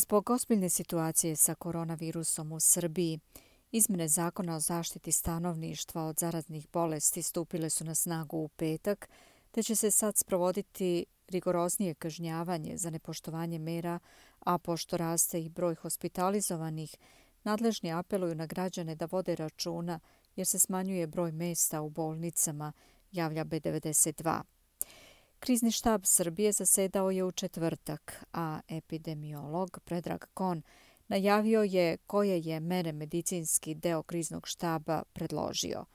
Zbog ozbiljne situacije sa koronavirusom u Srbiji, izmjene Zakona o zaštiti stanovništva od zaraznih bolesti stupile su na snagu u petak, te će se sad sprovoditi rigoroznije kažnjavanje za nepoštovanje mera, a pošto raste i broj hospitalizovanih, nadležni apeluju na građane da vode računa jer se smanjuje broj mesta u bolnicama, javlja B92. Krizni štab Srbije zasedao je u četvrtak, a epidemiolog Predrag Kon najavio je koje je mere medicinski deo kriznog štaba predložio.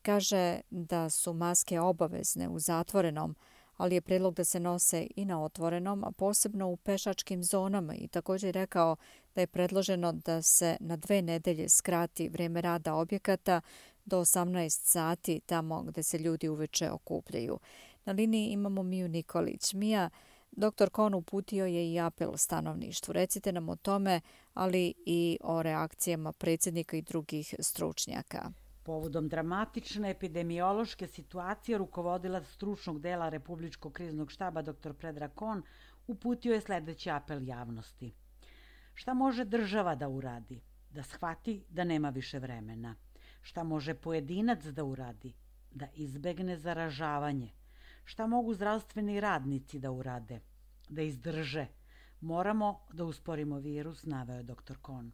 Kaže da su maske obavezne u zatvorenom, ali je predlog da se nose i na otvorenom, a posebno u pešačkim zonama, i također rekao da je predloženo da se na 2 nedelje skrati vrijeme rada objekata do 18 sati tamo gde se ljudi uveče okupljaju. Na liniji imamo Miju Nikolić. Mija, dr. Kon uputio je i apel stanovništvu. Recite nam o tome, ali i o reakcijama predsjednika i drugih stručnjaka. Povodom dramatične epidemiološke situacije, rukovodilac stručnog dela Republičkog kriznog štaba dr. Predrag Kon uputio je sljedeći apel javnosti. Šta može država da uradi? Da shvati da nema više vremena. Šta može pojedinac da uradi? Da izbegne zaražavanje. Šta mogu zdravstveni radnici da urade? Da izdrže. Moramo da usporimo virus, naveo je dr. Kon.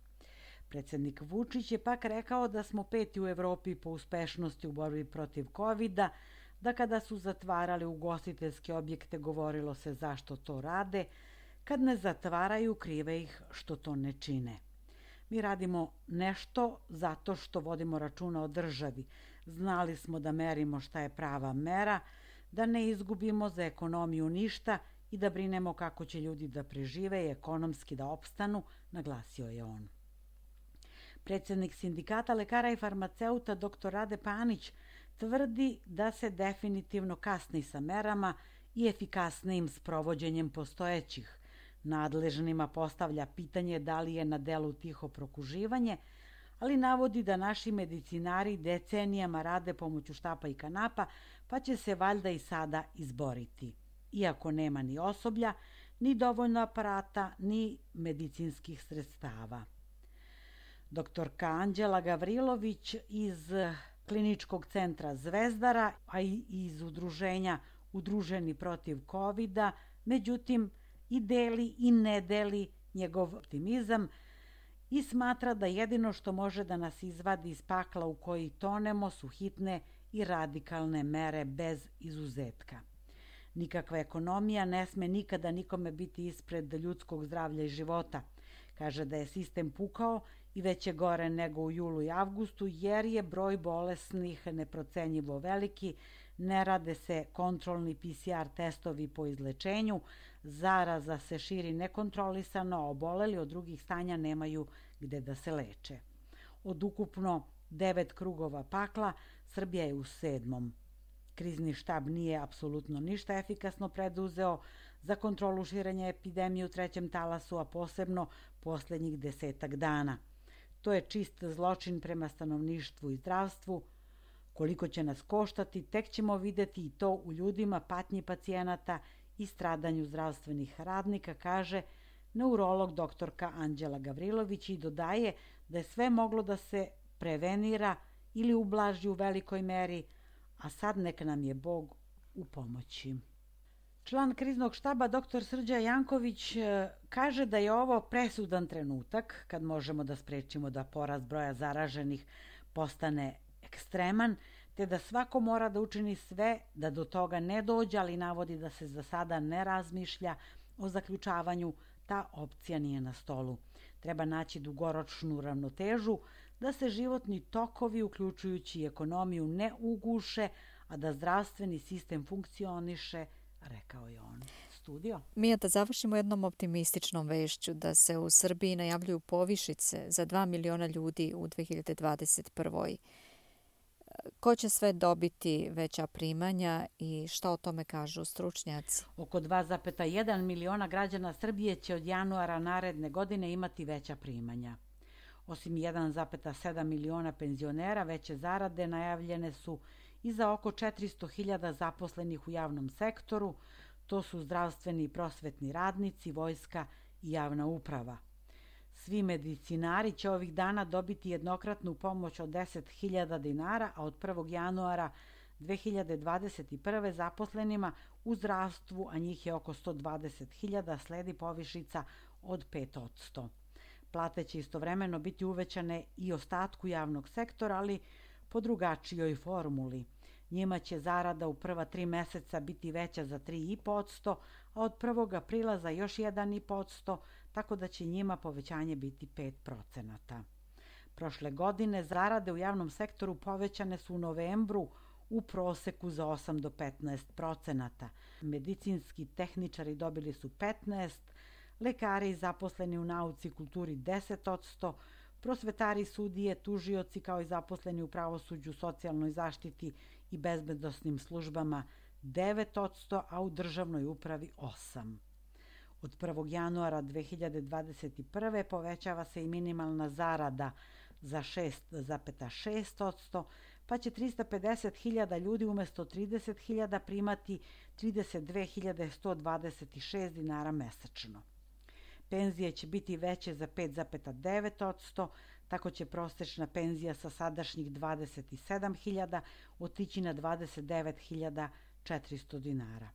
Predsjednik Vučić je pak rekao da smo 5. u Evropi po uspešnosti u borbi protiv COVID-a, da kada su zatvarali ugostiteljske objekte govorilo se zašto to rade, kad ne zatvaraju krive ih što to ne čine. Mi radimo nešto zato što vodimo računa o državi. Znali smo da merimo šta je prava mera, da ne izgubimo za ekonomiju ništa i da brinemo kako će ljudi da prežive i ekonomski da opstanu, naglasio je on. Predsjednik Sindikata lekara i farmaceuta dr. Rade Panić tvrdi da se definitivno kasni sa merama i efikasnijim sprovođenjem postojećih. Nadležnima postavlja pitanje da li je na delu tiho prokuživanje, ali navodi da naši medicinari decenijama rade pomoću štapa i kanapa, pa će se valjda i sada izboriti. Iako nema ni osoblja, ni dovoljno aparata, ni medicinskih sredstava. Doktorka Anđela Gavrilović iz Kliničkog centra Zvezdara, a i iz udruženja Udruženi protiv COVID-a, međutim i deli i ne deli njegov optimizam i smatra da jedino što može da nas izvadi iz pakla u koji tonemo su hitne i radikalne mere bez izuzetka. Nikakva ekonomija ne sme nikada nikome biti ispred ljudskog zdravlja i života. Kaže da je sistem pukao i već je gore nego u julu i avgustu jer je broj bolesnih neprocenjivo veliki, ne rade se kontrolni PCR testovi po izlečenju, zaraza se širi nekontrolisano, a oboleli od drugih stanja nemaju gde da se leče. Od ukupno 9 krugova pakla, Srbija je u 7. Krizni štab nije apsolutno ništa efikasno preduzeo za kontrolu širenja epidemije u 3. talasu, a posebno posljednjih 10 dana. To je čist zločin prema stanovništvu i zdravstvu. Koliko će nas koštati, tek ćemo videti i to u ljudima, patnji pacijenata i stradanju zdravstvenih radnika, kaže neurolog doktorka Anđela Gavrilović i dodaje da je sve moglo da se prevenira ili ublaži u velikoj meri, a sad neka nam je Bog u pomoći. Član kriznog štaba dr. Srđan Janković kaže da je ovo presudan trenutak kad možemo da sprečimo da porast broja zaraženih postane ekstreman, te da svako mora da učini sve da do toga ne dođe, ali navodi da se za sada ne razmišlja o zaključavanju, ta opcija nije na stolu. Treba naći dugoročnu ravnotežu, da se životni tokovi, uključujući i ekonomiju, ne uguše, a da zdravstveni sistem funkcioniše, rekao je on. Studio. Mija, da završimo jednom optimističnom vešću da se u Srbiji najavljuju povišice za 2 miliona ljudi u 2021. Ko će sve dobiti veća primanja i šta o tome kažu stručnjaci? Oko 2,1 miliona građana Srbije će od januara naredne godine imati veća primanja. Osim 1,7 miliona penzionera, veće zarade najavljene su i za oko 400.000 zaposlenih u javnom sektoru, to su zdravstveni i prosvetni radnici, vojska i javna uprava. Svi medicinari će ovih dana dobiti jednokratnu pomoć od 10.000 dinara, a od 1. januara 2021. zaposlenima u zdravstvu, a njih je oko 120.000, sledi povišica od 5%. Plate će istovremeno biti uvećane i ostatku javnog sektora, ali po drugačijoj formuli. Njima će zarada u prva 3 meseca biti veća za 3,5%, a od 1. aprila za još 1,5%, tako da će njima povećanje biti 5%. Prošle godine zarade u javnom sektoru povećane su u novembru u proseku za 8 do 15%. Medicinski tehničari dobili su 15%, lekari i zaposleni u nauci i kulturi 10%, prosvetari, sudije, tužioci kao i zaposleni u pravosuđu, socijalnoj zaštiti i bezbednosnim službama 9%, a u državnoj upravi 8%. Od 1. januara 2021. povećava se i minimalna zarada za 6,6%, pa će 350.000 ljudi umesto 30.000 primati 32.126 dinara mesečno. Penzije će biti veće za 5,9%, tako će prosečna penzija sa sadašnjih 27.000 otići na 29.400 dinara.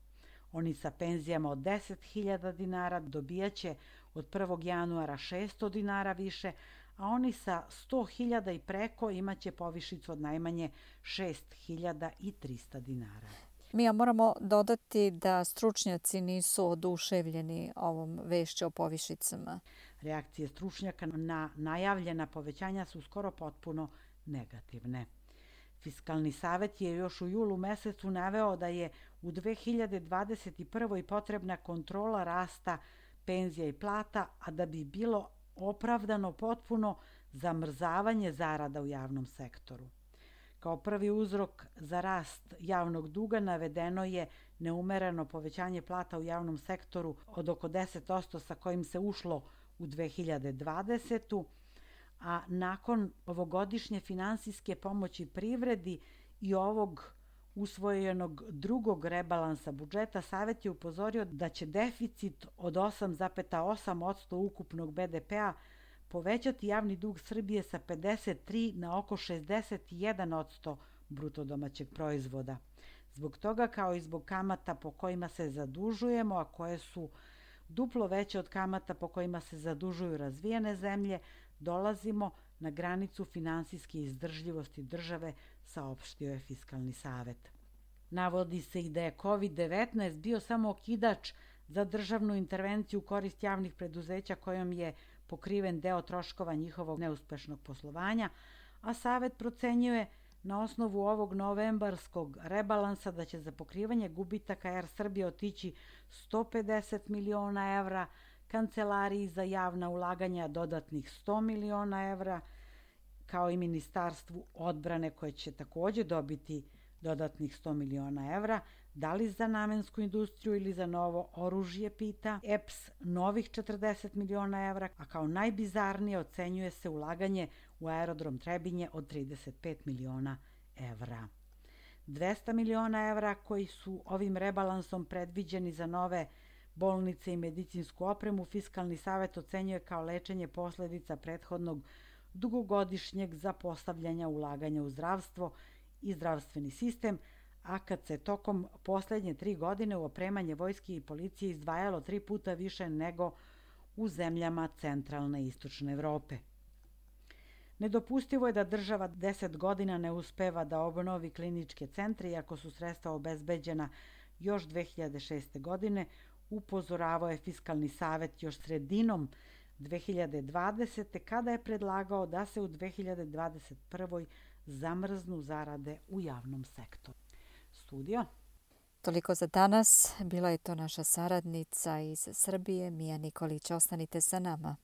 Oni sa penzijama od 10.000 dinara dobijaće od 1. januara 600 dinara više, a oni sa 100.000 i preko imaće povišicu od najmanje 6.300 dinara. Mija, moramo dodati da stručnjaci nisu oduševljeni ovom vešću o povišicama. Reakcije stručnjaka na najavljena povećanja su skoro potpuno negativne. Fiskalni savet je još u julu mesecu naveo da je u 2021. potrebna kontrola rasta penzija i plata, a da bi bilo opravdano potpuno zamrzavanje zarada u javnom sektoru. Kao prvi uzrok za rast javnog duga navedeno je neumereno povećanje plata u javnom sektoru od oko 10% sa kojim se ušlo u 2020. A nakon ovogodišnje finansijske pomoći privredi i ovog usvojenog drugog rebalansa budžeta, Savet je upozorio da će deficit od 8,8% ukupnog BDP-a povećati javni dug Srbije sa 53 na oko 61% bruto domaćeg proizvoda. Zbog toga, kao i zbog kamata po kojima se zadužujemo, a koje su duplo veće od kamata po kojima se zadužuju razvijene zemlje, dolazimo na granicu finansijske izdržljivosti države, saopštio je Fiskalni savet. Navodi se i da je COVID-19 bio samo okidač za državnu intervenciju u korist javnih preduzeća kojom je pokriven deo troškova njihovog neuspešnog poslovanja, a Savet procenjuje na osnovu ovog novembarskog rebalansa da će za pokrivanje gubitaka Air Srbije otići 150 miliona evra, Kancelariji za javna ulaganja dodatnih 100 miliona evra, kao i Ministarstvu odbrane koje će takođe dobiti dodatnih 100 miliona evra, da li za namensku industriju ili za novo oružje, pita EPS, novih 40 miliona evra, a kao najbizarnije ocenjuje se ulaganje u aerodrom Trebinje od 35 miliona evra. 200 miliona evra koji su ovim rebalansom predviđeni za nove bolnice i medicinsku opremu, Fiskalni savet ocenjuje kao lečenje posledica prethodnog dugogodišnjeg zapostavljanja ulaganja u zdravstvo i zdravstveni sistem, a kad se tokom poslednje 3 godine u opremanje vojske i policije izdvajalo 3 puta više nego u zemljama centralne i istočne Evrope. Nedopustivo je da država 10 godina ne uspeva da obnovi kliničke centre, iako su sredstva obezbeđena još 2006. godine, upozoravao je Fiskalni savet još sredinom 2020. kada je predlagao da se u 2021. zamrznu zarade u javnom sektoru. Studio. Toliko za danas. Bila je to naša saradnica iz Srbije, Mija Nikolić. Ostanite sa nama.